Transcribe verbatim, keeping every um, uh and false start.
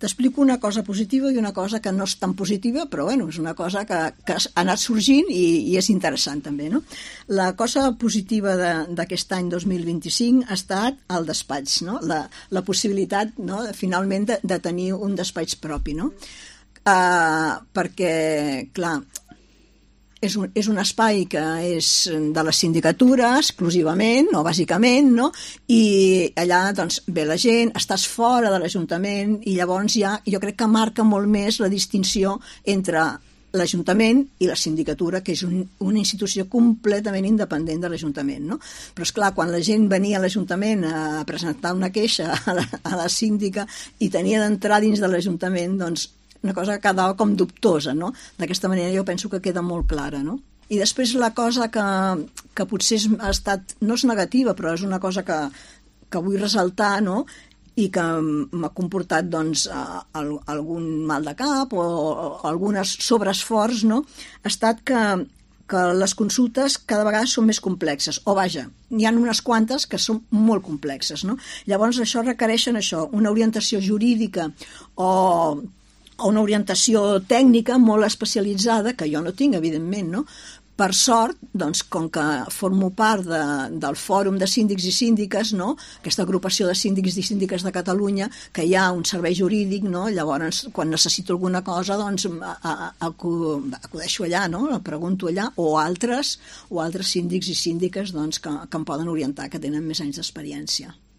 t'explico una cosa positiva i una cosa que no és tan positiva, però bueno, és una cosa que, que ha anat sorgint i, i és interessant també, no? La cosa positiva d'aquest any dos mil vint-i-cinc ha estat el despatx, no? La, la possibilitat, no?, de, finalment de, de tenir un despatx propi, no? Uh, perquè, clar, És un, és un espai que és de la sindicatura exclusivament o bàsicament, no? I allà doncs, ve la gent, estàs fora de l'Ajuntament i llavors ja jo crec que marca molt més la distinció entre l'Ajuntament i la sindicatura, que és un, una institució completament independent de l'Ajuntament, no? Però, esclar, quan la gent venia a l'Ajuntament a presentar una queixa a la, a la síndica i tenia d'entrar dins de l'Ajuntament, doncs una cosa que quedava com dubtosa, no? D'aquesta manera jo penso que queda molt clara, no? I després la cosa que, que potser ha estat, no és negativa, però és una cosa que, que vull ressaltar, no?, i que m'ha comportat doncs, algun mal de cap o, o algun sobreesforç, no?, ha estat que, que les consultes cada vegada són més complexes, o vaja, n'hi ha unes quantes que són molt complexes, no? Llavors això requereixen això, una orientació jurídica o o una orientació tècnica molt especialitzada, que jo no tinc, evidentment, no? Per sort, doncs, com que formo part de, del Fòrum de Síndics i Síndiques, no?, aquesta agrupació de síndics i síndiques de Catalunya, que hi ha un servei jurídic, no?, llavors, quan necessito alguna cosa, doncs, a, a, a, acudeixo allà, no?, la pregunto allà, o altres, o altres síndics i síndiques, doncs, que, que em poden orientar, que tenen més anys d'experiència.